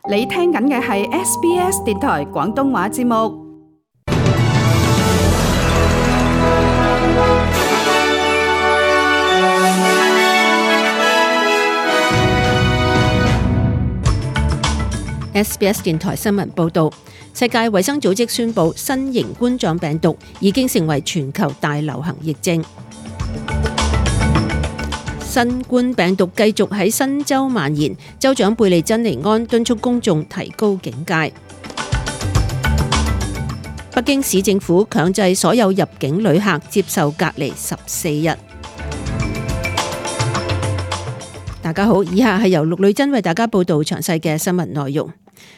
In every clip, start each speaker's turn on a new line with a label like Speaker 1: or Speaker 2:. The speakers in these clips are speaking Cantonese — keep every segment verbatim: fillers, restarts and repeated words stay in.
Speaker 1: 你聽緊嘅係 S B S 電台廣東話節目。
Speaker 2: S B S 電台新聞報導，世界衛生組織宣布新型冠狀病毒已經成為全球大流行疫症。新冠病毒繼續喺新州蔓延，州長貝利珍尼安敦促公眾提高警戒。北京市政府強制所有入境旅客接受隔離十四日。大家好，以下係由陸女珍為大家報道詳細嘅新聞內容。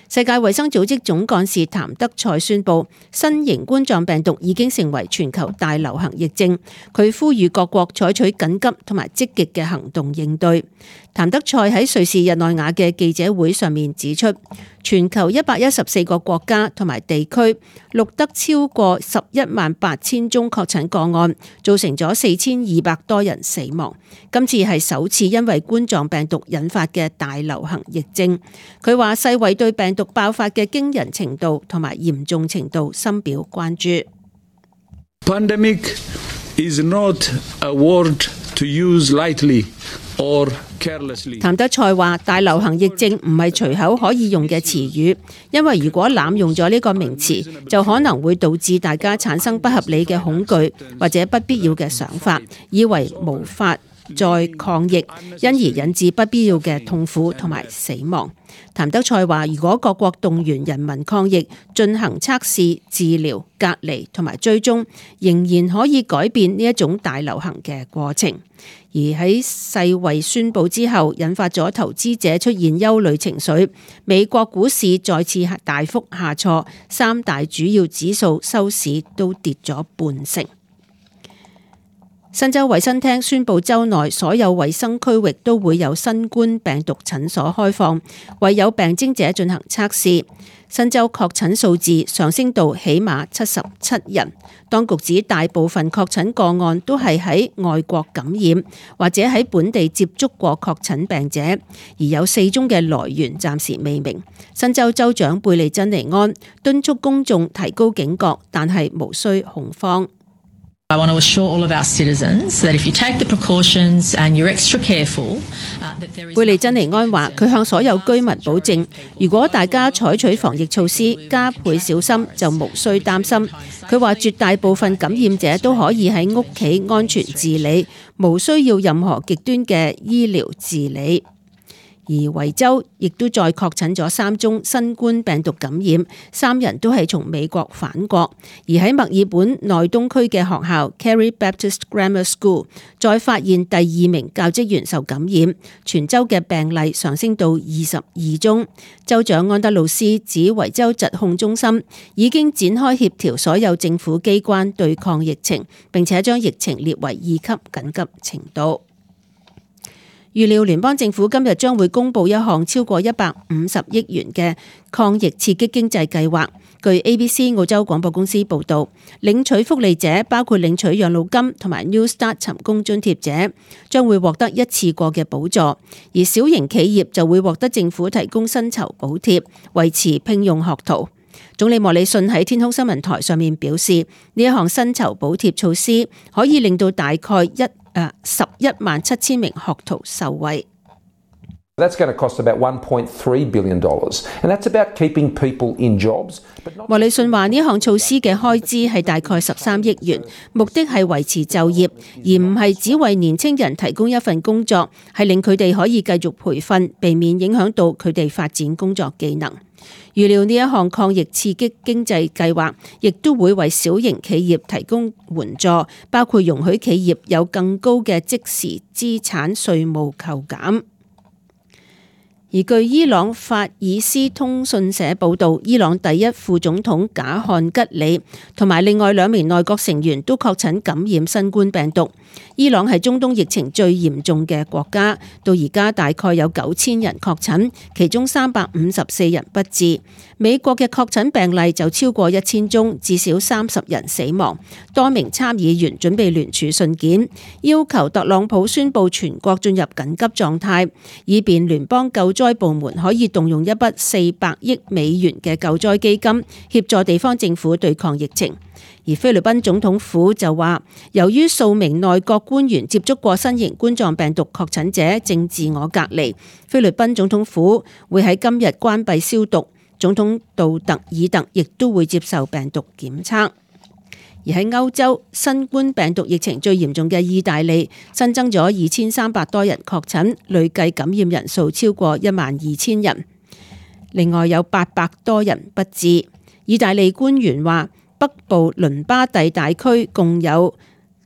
Speaker 2: 世界衛生組織總幹事譚德塞宣布，新型冠狀病毒已經成為全球大流行疫症。佢呼籲各國採取緊急同埋積極嘅行動應對。譚德塞喺瑞士日內瓦嘅記者會上面指出，全球一百一十四個國家同埋地區錄得超過十一萬八千宗確診個案，造成咗四千二百多人死亡。今次係首次因為冠狀病毒引發嘅大流行疫症。佢話世衛對病毒爆發嘅驚人程度同埋嚴重程度深表關注。
Speaker 3: Pandemic is not a word to use lightly or carelessly。
Speaker 2: 譚德塞話：大流行疫症唔係隨口可以用嘅詞語，因為如果濫用咗呢個名詞，就可能會導致大家產生不合理嘅恐懼或者不必要嘅想法，以為無法再抗疫，因而引致不必要嘅痛苦同埋死亡。譚德塞話：如果各國動員人民抗疫，進行測試、治療、隔離同埋追蹤，仍然可以改變呢一種大流行嘅過程。而喺世衛宣布之後，引發咗投資者出現憂慮情緒，美國股市再次大幅下挫，三大主要指數收市都跌咗半成。新州衛生廳宣布，州內所有衛生區域都會有新冠病毒診所開放，為有病徵者進行測試。新州確診數字上升到起碼七十七人。當局指大部分確診個案都係喺外國感染，或者喺本地接觸過確診病者，而有四宗嘅來源暫時未明。新州州長貝利珍尼安敦促公眾提高警覺，但係無需恐慌。
Speaker 4: I want to assure all of our citizens that if you take the precautions and you're extra careful, that there is。
Speaker 2: 貝利珍尼安話：佢向所有居民保證，如果大家採取防疫措施，加倍小心，就無需擔心。佢話絕大部分感染者都可以喺屋企安全治理，無需要任何極端嘅醫療治理。而維州亦都再確診咗三宗新冠病毒感染，三人都係從美國返國。而喺墨爾本內東區嘅學校 Carey Baptist Grammar School 再發現第二名教職員受感染，全州嘅病例上升到二十二宗。州長安德魯斯指維州疾控中心已經展開協調所有政府機關對抗疫情，並且將疫情列為二級緊急程度。預料聯邦政府今日將會公布一項超過一百五十億元嘅抗疫刺激經濟計劃。據 A B C 澳洲廣播公司報導，領取福利者包括領取養老金同埋 New Start 尋工津貼者，將會獲得一次過嘅補助；而小型企業就會獲得政府提供薪酬補貼，維持聘用學徒。總理莫里遜喺天空新聞台上面表示，呢一項薪酬補貼措施可以令到大概一誒十一萬七千名學徒受惠。
Speaker 5: That's going to cost about one point three billion dollars, and that's about keeping people in jobs.
Speaker 2: 莫里遜話呢項措施嘅開支係大概十三億元，目的係維持就業，而唔係只為年輕人提供一份工作，係令佢哋可以繼續培訓，避免影響到佢哋發展工作技能。預料呢一項抗疫刺激經濟計劃，亦都會為小型企業提供援助，包括容許企業有更高嘅即時資產稅務扣減。而據伊朗法爾斯通訊社報導，伊朗第一副總統賈漢吉里同埋另外兩名內閣成員都確診感染新冠病毒。伊朗係中東疫情最嚴重嘅國家，到而家大概有九千人確診，其中三百五十四人不治。美國嘅確診病例就超過一千宗，至少三十人死亡。多名參議員準備聯署信件，要求特朗普宣布全國進入緊急狀態，以便聯邦救災部門可以動用一筆四百億美元嘅救災基金，協助地方政府對抗疫情。而菲律賓總統府就話，由於數名內閣官員接觸過新型冠狀病毒確診者，正自我隔離，菲律賓總統府會喺今日關閉消毒。總統杜特爾特亦都會接受病毒檢測。而喺歐洲，新冠病毒疫情最嚴重嘅意大利新增咗二千三百多人確診，累計感染人數超過一萬二千人，另外有八百多人不治。意大利官員話，北部倫巴第大區共有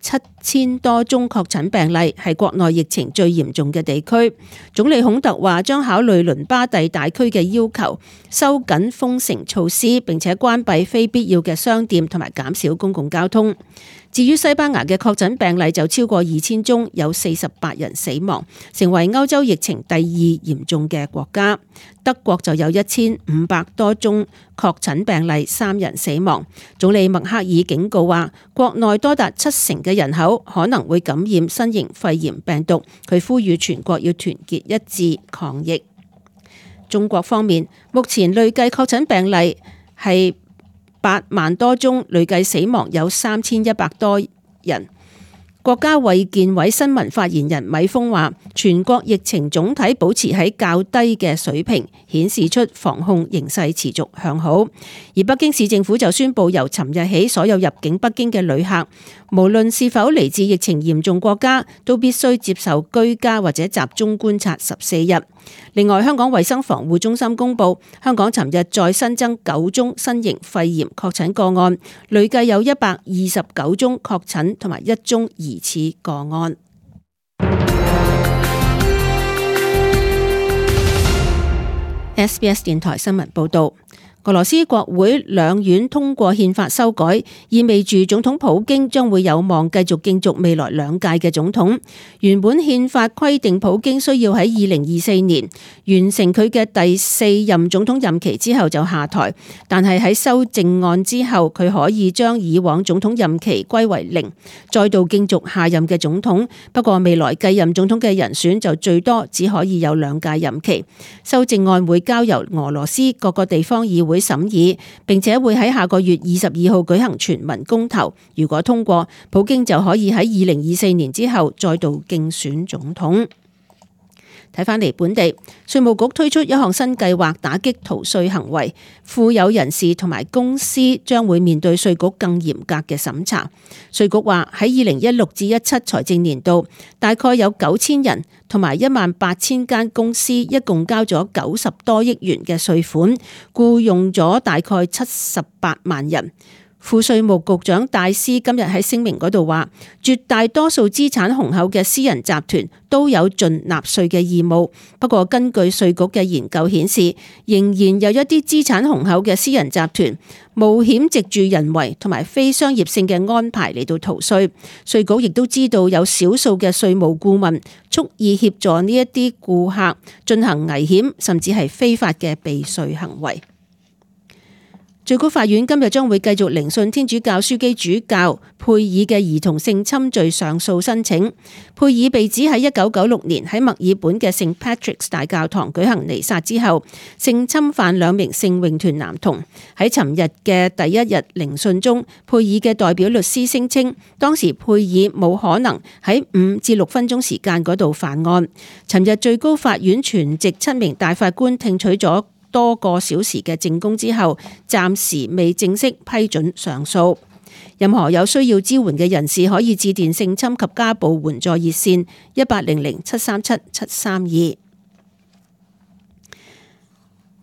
Speaker 2: 七千多宗確診病例，係國內疫情最嚴重嘅地區。總理孔特話將考慮倫巴第大區嘅要求，收緊封城措施，並且關閉非必要嘅商店同埋減少公共交通。至於西班牙嘅確診病例就超過二千宗，有四十八人死亡，成為歐洲疫情第二嚴重嘅國家。德國就有一千五百多宗確診病例，三人死亡。總理默克爾警告話，國內多達七成嘅人口可能會感染新型肺炎病毒。佢呼籲全國要團結一致抗疫。中國方面，目前累計確診病例係八萬多宗，累計死亡有三千一百多人。國家衛健委新聞發言人米峰話，全國疫情總體保持喺較低嘅水平，顯示出防控形勢持續向好。而北京市政府就宣布，由尋日起，所有入境北京嘅旅客，無論是否嚟自疫情嚴重國家，都必須接受居家或者集中觀察十四日。另外，香港衛生防護中心公布，香港尋日再新增九宗新型肺炎確診個案，累計有一百二十九宗確診同埋一宗疑似個案。S B S 電台新聞報道。俄羅斯國會兩院通過憲法修改，意味住總統普京將會有望繼續競逐未來兩屆嘅總統。原本憲法規定普京需要喺二零二四年完成佢嘅第四任總統任期之後就下台，但係喺修正案之後，佢可以將以往總統任期歸為零，再度競逐下任嘅總統。不過未來繼任總統嘅人選就最多只可以有兩屆任期。修正案會交由俄羅斯各個地方議會審議，並且會喺下個月二十二號舉行全民公投。如果通過，普京就可以喺二零二四年之後再度競選總統。睇返嚟本地，稅務局推出一項新計劃打擊逃稅行為，富有人士同埋公司將會面對稅局更嚴格嘅審查。稅局話喺二零一六至一七財政年度，大概有九千人同埋一萬八千間公司，一共交咗九十多億元嘅稅款，僱用咗大概七十八萬人。副稅務局長戴斯今日喺聲明嗰度話，絕大多數資產雄厚嘅私人集團都有盡納稅嘅義務。不過根據稅局嘅研究顯示，仍然有一啲資產雄厚嘅私人集團冒險藉住人為同埋非商業性嘅安排嚟到逃稅。稅局亦都知道有少數嘅稅務顧問蓄意協助呢一啲顧客進行危險甚至係非法嘅避稅行為。最高法院今日將會繼續聆訊天主教樞機主教佩爾嘅兒童性侵罪上訴申請。佩爾被指喺一九九六年喺墨爾本嘅聖 Patrick's 大教堂舉行彌撒之後，性侵犯兩名聖詠團男童。喺尋日嘅第一日聆訊中，佩爾嘅代表律師聲稱，當時佩爾冇可能喺五至六分鐘時間嗰度犯案。尋日最高法院全席七名大法官聽取咗多個小時嘅證供之後，暫時未正式批准上訴。任何有需要支援嘅人士可以致電性侵及家暴援助熱線一八零零七三七七三二。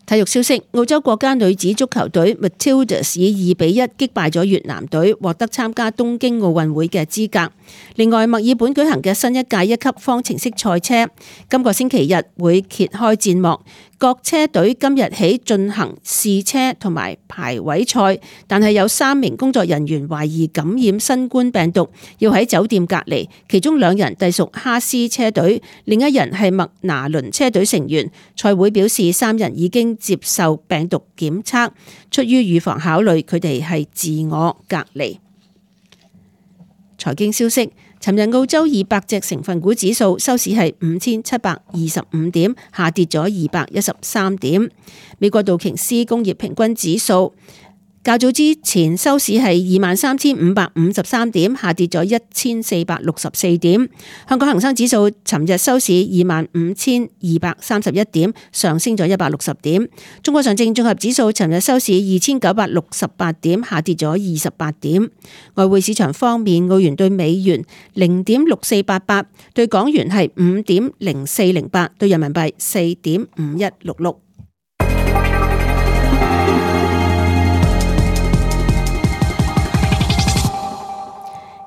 Speaker 2: 體育消息：澳洲國家女子足球隊 Matildas 以二比一擊敗咗越南隊，獲得參加東京奧運會嘅資格。另外，墨爾本舉行嘅新一屆一級方程式賽車，今個星期日會揭開戰幕。各車隊今日起進行試車同埋排位賽，但係有三名工作人員懷疑感染新冠病毒，要喺酒店隔離。其中兩人隸屬哈斯車隊，另一人係麥拿倫車隊成員。賽會表示，三人已經接受病毒檢測，出於預防考慮，佢哋係自我隔離。財經消息。尋日澳洲二百隻成分股指數收市係五千七百二十五點，下跌咗二百一十三點。美國道瓊斯工業平均指數較早之前收市係二萬三千五百五十三點，下跌咗一千四百六十四點。香港恒生指數尋日收市二萬五千二百三十一點，上升咗一百六十點。中國上證綜合指數尋日收市二千九百六十八點，下跌咗二十八點。外匯市場方面，澳元對美元零點六四八八，對港元係五點零四零八，對人民幣四點五一六六。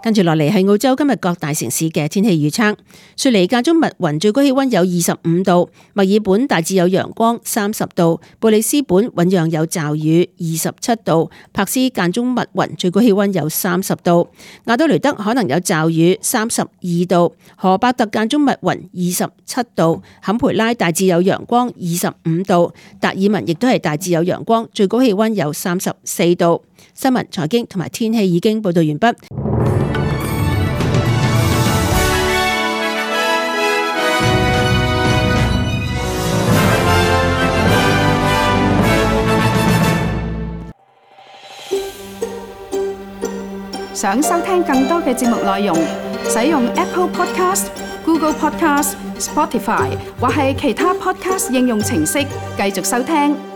Speaker 2: 跟住落嚟係澳洲今日各大城市嘅天氣預測。雪梨間中密雲，最高氣溫有二十五度；墨爾本大致有陽光，三十度；布里斯本醞釀有驟雨，二十七度；柏斯間中密雲，最高氣溫有三十度；亞德雷德可能有驟雨，三十二度；荷伯特間中密雲，二十七度；坎培拉大致有陽光，二十五度；達爾文亦都係大致有陽光，最高氣溫有三十四度。新聞、財經同埋天氣已經報道完畢。
Speaker 1: 想收聽更多嘅節目內容，使用 Apple Podcast、Google Podcast、Spotify 或係其他 Podcast 應用程式繼續收聽。